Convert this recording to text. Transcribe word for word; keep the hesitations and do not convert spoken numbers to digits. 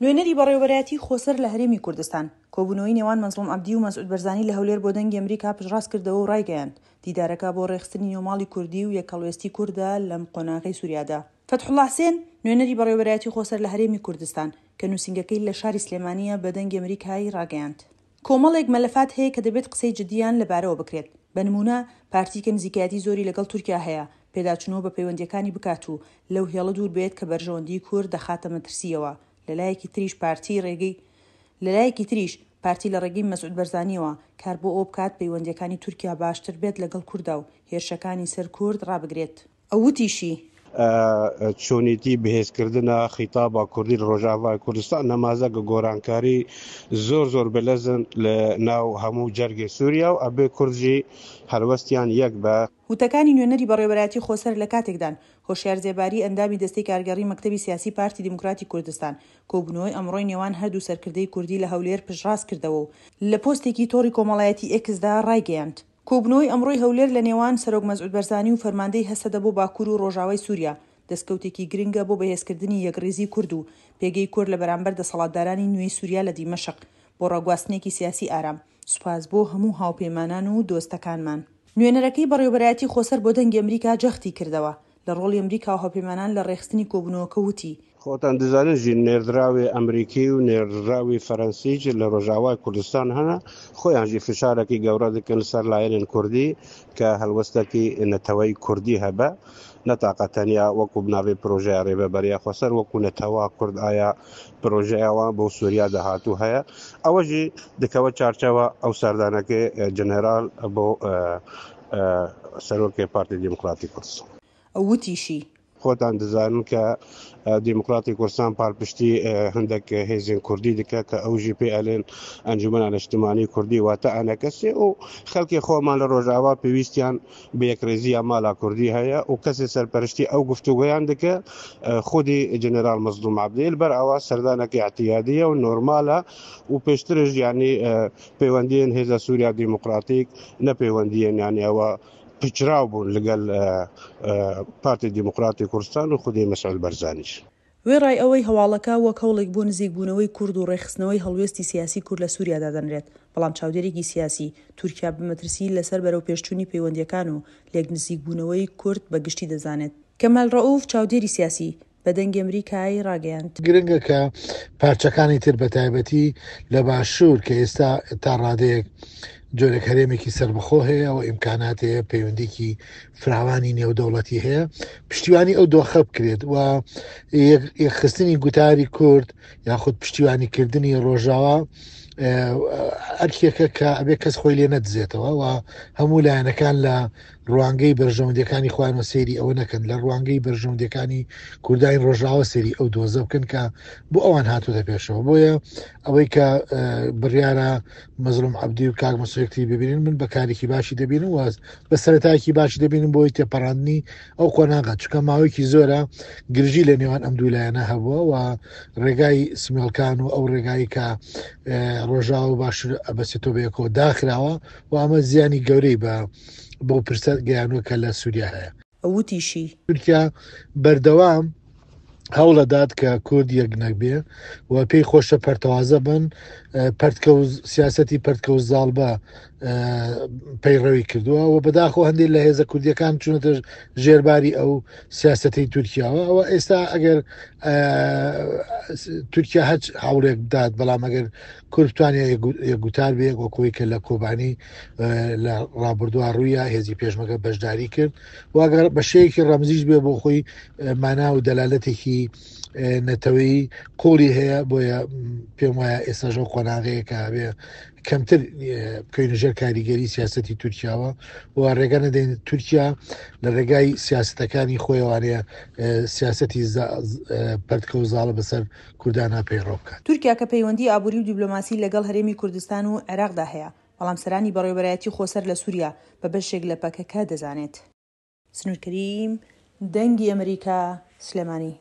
نوێنەری بەڕێوەبەرایەتی خۆسەر لە هەرێمی کوردستان، کۆبوونەوەی نێوان مەزڵوم عەبدی و مەسعود بەرزانی لە هەولێر بۆ دەنگی ئەمریکا پشتڕاست کردەوە و ڕایگەیاند، دیدارەکە بۆ ڕێکخستنی نێوماڵی کوردی و یەکهەڵوێستی کوردە لەم قۆناغەی سوریادا. فەتحوڵا حسێن، نوێنەری بەڕێوەبەرایەتی خۆسەر لە هەرێمی کوردستان، کە نووسینگەکەی لە شاری سلێمانییە بە دەنگی ئەمریکای ڕاگەیاند، کۆمەڵێک مەلەفات هەیە کە دەبێت قسەی جدییان لەبارەوە بکرێت، بە نموونە پارتی کە نزیکایەتی زۆری لەگەڵ تورکیا هەیە، پێداچوونەوە بە پەیوەندییەکانی بکات و لەو هێڵە دوور بێت کە بەرژەوەندیی کورد دەخاتە مەترسییەوە، لەلایەکی تریش پارتی ڕێگەی لەلایەکی تریش پارتی لە ڕێگەی مەسعود بەرزانییەوە کار بۆ ئەوە بکات پەیوەندییەکانی تورکیا باشتر بێت لەگەڵ کوردا و هێرشەکانی سەر کورد ڕابگرێت. ئەو وتیشی. چۆنێتی بەهێزکردنا خیتابا کوردی لە ڕۆژاڤای کوردستان نەمازە گە گۆرانکاری زۆر زۆر بەلەزن لە ناو هەموو جەرگێ سووریا و ئەبێ کورد ژی هەلوەستیان یەک بە. وتەکانی نوێنەری بەڕێوەبەرایەتی خۆسەر لە کاتێکدان، هۆشیار زێباری ئەندامی دەستەی کارگێڕی مەکتەبی سیاسی پارتی دیموکراتی کوردستان کۆبوونەوەی ئەمڕۆی نێوان هەردوو سەرکردەی کوردی لە هەولێر پشتڕاست کردەوە و لە پۆستێکی تۆڕی کۆمەڵایەتی ئێکسدا ڕایگەیاند، کۆبوونەوەی ئەمڕۆی هەولێر لە نێوان سەرۆک مەسعود بەرزانی و فەرماندەی هەسەدە بۆ باکوور و ڕۆژاوای سووریا دەستکەوتێکی گرنگە بۆ بەهێزکردنی یەکڕیزی کورد و پێگەی کورد لە بەرامبەر دەسەڵاتدارانی نوێی سووریا لە دیمەشق بۆ ڕاگواستنێکی سیاسی ئارام. سوپاس بۆ هەموو هاوپەیمانان و دۆستەکانمان. نوێنەرەکەی بەڕێوەبەرایەتی خۆسەر بۆ دەنگی ئەمریکا جەختی کردەوە لە ڕۆڵی ئەمریکا و هاوپەیمانان لە ڕێکخستنی کۆبوونەوەکە وتی، خۆتان دزانن ژی نێردراوێ ئەمریکی و نێردراوی فەرەنسیج لە ڕۆژاوای کوردستان هەنە، خۆیان ژی فشارەکی گەورە دکەن سەر لایەنێن کوردی کە هەلوەستەکی نەتەوەی کوردی هەبە، نە تاقە تەنیا وەکو بناوێ پرۆژەیا رێڤەبەریا خۆسەر وەکو نەتەوە کورد ئایا پرۆژەیا وان بۆ سوریا داهاتوو هەیە، ئەوە ژی دکەوە چارچەوە ئەو سەردانەکەی جەنەرال بۆ سەرۆکێ پارتی دیموکراتی کوردستان. ئەو وتیشی. خۆتان دزانن کە دیموکراتی کوردستان پالپشتی هەندێک هێزێن کوردی دکە کە ئەو ژی پێ ئەلێن ئەنجومەنە نیشتمانی کوردی واتە ئەنەکەسێ و خەڵکی خۆمان لە ڕۆژاوا پێویستیان بە یەکڕێزییا مالا کوردی هەیە و کەسێ سەرپەرشتی ئەو گفتوگۆیان دکە خودی جەنەرال مەزلوم عەبدیل بەر ئەوە سەردانەکە اعتیادیە و نۆرمالە و پێشترش یعنی پەیوەندیên هێزە سووریا دیموکراتیک نە پەیوەندیên یعنی ئەوە پچراو بوون لەگەل پارتی دیموکراتی کوردستان و خودی مەسعود بەرزانیش. وێڕای ئەوەی هەواڵەکە وەک هەوڵێک بۆ نزیکبوونەوەی کورد و ڕێکخستنەوەی هەڵوێستی سیاسی کورد لە سووریا دادەنرێت، بەڵام چاودێرێکی سیاسی، تورکیا بە مەترسی لەسەر بەرەوپێشچوونی پەیوەندییەکان و لێکنزیکبوونەوەی کورد بە گشتی دەزانێت. کەمال ڕەئوف، چاودێری سیاسی، بە دەنگی ئەمریکای ڕاگەیاند. گرنگە کە پارچەکانی تر بە تایبەتی لە باشوور کە ئێستا تا ڕادەیەک جۆرێک هەرێمێکی سەربەخۆ هەیە و ئیمکانات هەیە، پەیوەندیکی فراوانی نێودەوڵەتی هەیە، پشتیوانی ئەو دۆخە بکرێت و یەکخستنی گوتاری کورد یاخود پشتیوانیکردنی ڕۆژاوا ئەرکێکە کە ئەبێ کەس خۆی لێ نەدزێتەوە و هەموو لایەنەکان لە ڕوانگەی بەرژەوەندیەکانی خۆیانەوە سەیری ئەوە نەکەن، لە ڕوانگەی بەرژەوەندیەکانی کوردانی ڕۆژاوا سەیری ئەو دۆزە بکەن کە بۆ ئەوان هاتووتە پێشەوە. بۆیە ئەوەی کە بڕیارە مەزلوم عەبدی و کاک مەسعود ببینن من بە کارێکی باشی دەبینم و بە سەرەتایەکی باشی دەبینم بۆی تێپەڕاندنی ئەو قۆناغە، چونکە ماوەیەکی زۆرە گرژی لە نێوان ئەم دوو لایەنە هەبووە و ڕێگای سمێڵکان و ئەو ڕێگایی کە ڕۆژاوا و باشوور ئەبەسێتەوە بەیەکەوە داخراوە و ئەمە زیانی گەورەی بە بۆ پرسە گەیانوە کە لە سووریا هەیە. وتیشی. تورکیا بەردەوام هەوڵەدات کە کورد یەک نەبێ و پێی خۆشە پەرتەوازە بن، پەرتکە و سیاسەتی پەرتکە و زاڵ بە پەیڕەوی کردووە و بەداخەوە هەندێک لە هێزە کوردیەکان چوونەتە ژێرباری ئەو سیاسەتی تورکیاوە. ئەوە ئێستا ئەگەر تورکیا هەچ هەوڵێک بدات، بەڵام ئەگەر کورد بتوانێت یەکگوتار بێ وەکۆی کە لە کۆبانی لە ڕابردووە ڕوویە هێزی پێشمەگە بەشداری کرد و ئەگەر بە شێوەیەکی ڕەمزیش بێ بۆ خۆی مانا و دەلالەتێکی نەتەوەی قوڵی هەیە. بۆیە پێم وایە ئێستاش ئەو قۆناغەیە کە بێ کەمتر بکەوینە ژێر کاریگەری سیاسەتی تورکیاوە و ڕێگە نەدەین تورکیا لە ڕێگای سیاسەتەکانی خۆیەوانەیە سیاسەتی پەرتکە و زاڵە بەسەر کوردانە پەیڕەو بکات. تورکیا کە پەیوەندی ئابووری و دیبلۆماسی لەگەڵ هەرێمی کوردستان و عێراقدا هەیە، بەڵام سەرانی بەڕێوەبەرایەتی خۆسەر لە سووریا بە بەشێک لە پەکەکە دەزانێت. سنوور کەریم، دەنگی ئەمریکا، سلێمانی.